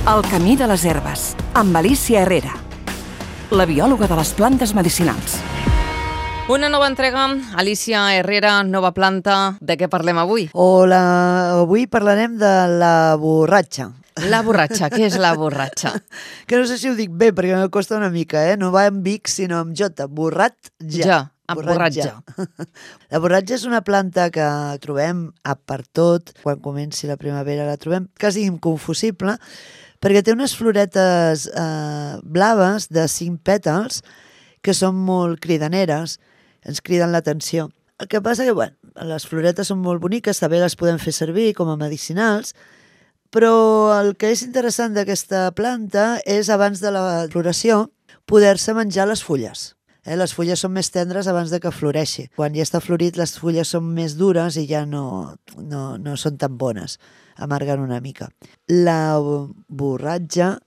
El camí de les herbes, amb Alicia Herrera, la biòloga de les plantes medicinals. Una nova entrega, Alicia Herrera, nova planta. De què parlem avui? Hola, avui parlarem de la borratxa. La borratxa, què és la borratxa? Que no sé si ho dic bé, perquè me costa una mica, No va amb X, sinó amb J. Borratja. Borratja. La borratja és una planta que trobem a per tot. Quan comenci la primavera la trobem quasi inconfusible, perquè té unes floretes blaves de 5 pètals que són molt cridaneres, ens criden l'atenció. El que passa que, les floretes són molt boniques, també les podem fer servir com a medicinals, però el que és interessant d'aquesta planta és, abans de la floració, poder-se menjar les fulles. Les fulles són més tendres abans de que floreixi. Quan ja està florit, les fulles són més dures i ja no són tan bones, amarguen una mica. La borratja,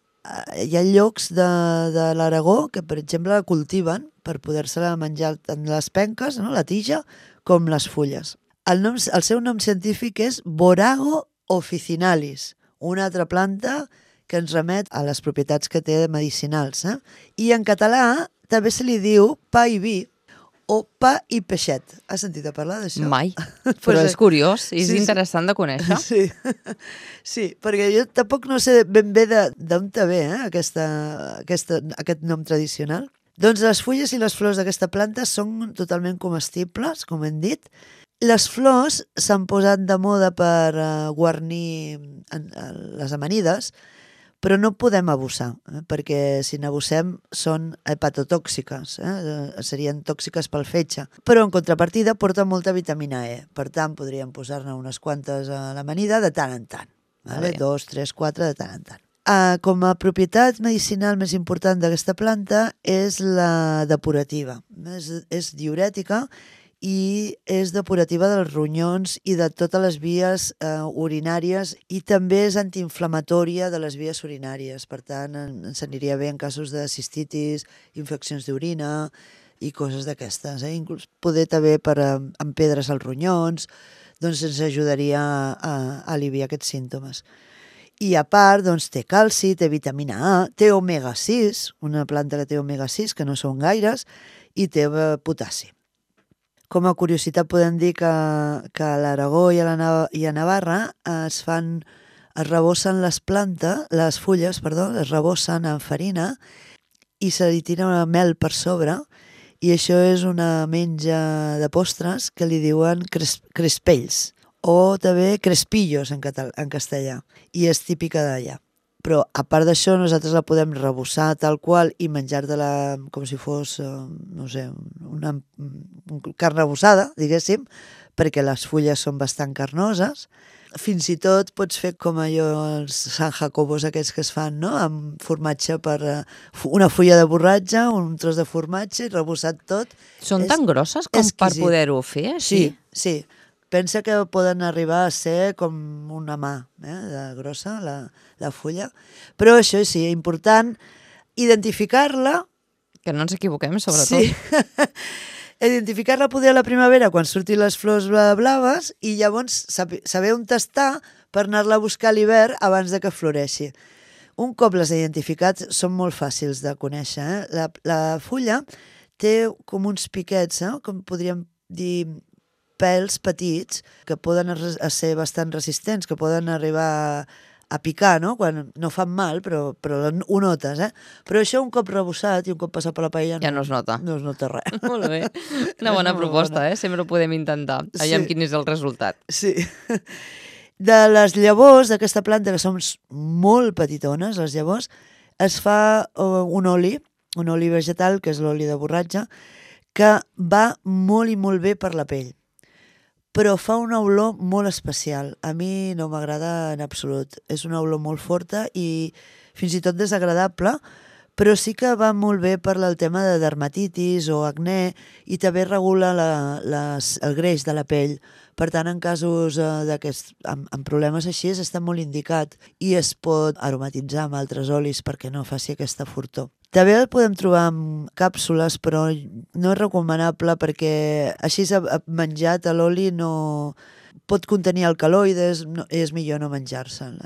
hi ha llocs de l'Aragó que, per exemple, la cultiven per poder-se-la menjar tant les penques, la tija, com les fulles. El seu nom científic és Borago officinalis, una altra planta que ens remet a les propietats que té medicinals. I en català també se li diu pa i vi o pa i peixet. Has sentit a parlar d'això? Mai, però és curiós, és interessant de conèixer. Sí, perquè jo tampoc no sé ben bé d'on te ve aquest nom tradicional. Doncs les fulles i les flors d'aquesta planta són totalment comestibles, com hem dit. Les flors s'han posat de moda per guarnir les amanides, però no podem abusar, perquè si n'abusem són hepatotòxiques, serien tòxiques pel fetge. Però en contrapartida porta molta vitamina E, per tant podríem posar-ne unes quantes a l'amanida de tant en tant, 2, 3, 4 de tant en tant. Com a propietat medicinal més important d'aquesta planta és la depurativa. És diürètica i és depurativa dels ronyons i de totes les vies urinàries, i també és antiinflamatòria de les vies urinàries. Per tant, ens aniria bé en casos de cistitis, infeccions d'orina i coses d'aquestes. Inclús poder també per empedres als ronyons, doncs ens ajudaria a aliviar aquests símptomes. I a part, doncs, té calci, té vitamina A, té omega-6, una planta que té omega-6, que no són gaires, i té potassi. Com a curiositat podem dir que a l'Aragó i a Navarra es rebossen les fulles, es rebossen en farina i se li tira una mel per sobre, i això és una menja de postres que li diuen crespells, o també crespillos en castellà, i és típica d'allà. Però, a part d'això, nosaltres la podem rebossar tal qual i menjar-te-la com si fos, no sé, una carn rebossada, diguéssim, perquè les fulles són bastant carnoses. Fins i tot pots fer com allò, els San Jacobos aquests que es fan, amb formatge per una fulla de borratja, un tros de formatge i rebossat tot. Són tan grosses com per poder-ho fer, així? Sí. Pensa que poden arribar a ser com una mà de grossa, la fulla. Però això sí, important identificar-la. Que no ens equivoquem, sobretot. Sí. Identificar-la poder a la primavera, quan surtin les flors blaves, i llavors saber on està per anar-la a buscar a l'hivern abans de que floreixi. Un cop les identificats, són molt fàcils de conèixer. La fulla té com uns piquets, com podríem dir, pèls petits, que poden ser bastant resistents, que poden arribar a picar, quan no fan mal, però ho notes. Però això, un cop rebossat i un cop passat per la paella, ja no es nota. No es nota res. Molt bé. Una bona proposta, sempre ho podem intentar. Aviam quin és el resultat. Sí. De les llavors d'aquesta planta, que són molt petitones, les llavors, es fa un oli vegetal, que és l'oli de borratja, que va molt i molt bé per la pell, però fa una olor molt especial. A mi no m'agrada en absolut. És una olor molt forta i fins i tot desagradable, però sí que va molt bé per el tema de dermatitis o acné, i també regula el greix de la pell. Per tant, en casos amb problemes així, està molt indicat, i es pot aromatitzar amb altres olis perquè no faci aquesta fortor. També el podem trobar en càpsules, però no és recomanable perquè així menjat a l'oli no pot contenir alcaloides, és millor no menjar-se'n.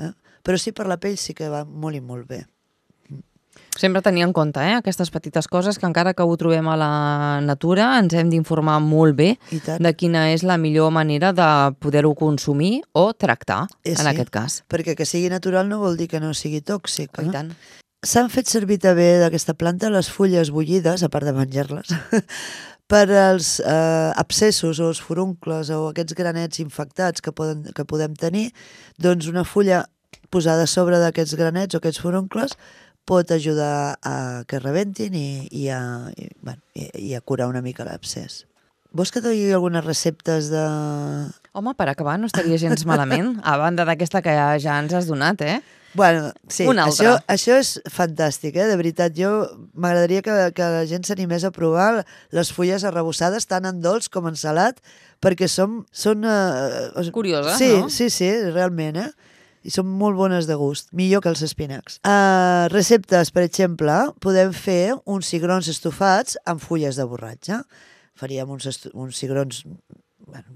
Però sí, per la pell sí que va molt i molt bé. Sempre tenir en compte aquestes petites coses que encara que ho trobem a la natura ens hem d'informar molt bé de quina és la millor manera de poder-ho consumir o tractar, en aquest cas. Perquè que sigui natural no vol dir que no sigui tòxic. I tant. S'han fet servir també d'aquesta planta les fulles bullides, a part de menjar-les, per als abscessos o els furuncles o aquests granets infectats que podem tenir. Doncs una fulla posada a sobre d'aquests granets o aquests furuncles pot ajudar a que rebentin i a curar una mica l'abscés. Vols que et digui algunes receptes de... Home, per acabar no estaria gens malament, a banda d'aquesta que ja ens has donat, Bueno, sí, una altra. Això és fantàstic, de veritat. M'agradaria que la gent s'animés a provar les fulles arrebossades tant en dolç com en salat, perquè són curioses, no? Sí, realment, i són molt bones de gust, millor que els espinacs. Receptes, per exemple, podem fer uns cigrons estofats amb fulles de borratja. Faríem uns cigrons,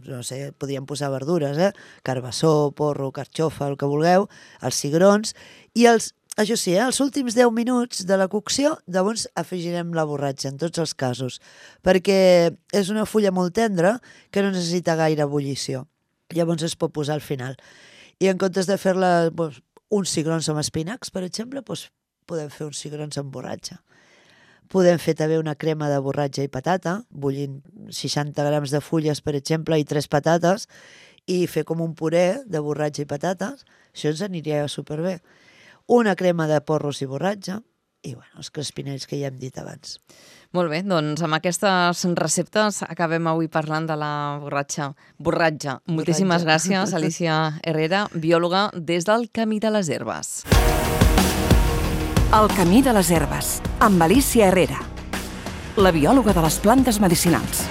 no sé, podríem posar verdures, carbassó, porro, carxofa, el que vulgueu, els cigrons, i això sí, els últims 10 minuts de la cocció, llavors afegirem la borratja, en tots els casos, perquè és una fulla molt tendra que no necessita gaire ebullició. Llavors es pot posar al final. I en comptes de fer-la uns cigrons amb espinacs, per exemple, podem fer uns cigrons amb borratja. Podem fer també una crema de borratja i patata, bullint 60 grams de fulles, per exemple, i 3 patates, i fer com un puré de borratja i patates. Això ens aniria superbé. Una crema de porros i borratja, i els crespinells que ja hem dit abans. Molt bé, doncs amb aquestes receptes acabem avui parlant de la borratja. Moltíssimes gràcies, Alícia Herrera, biòloga des del Camí de les Herbes. El Camí de les Herbes, amb Alícia Herrera, la biòloga de les plantes medicinals.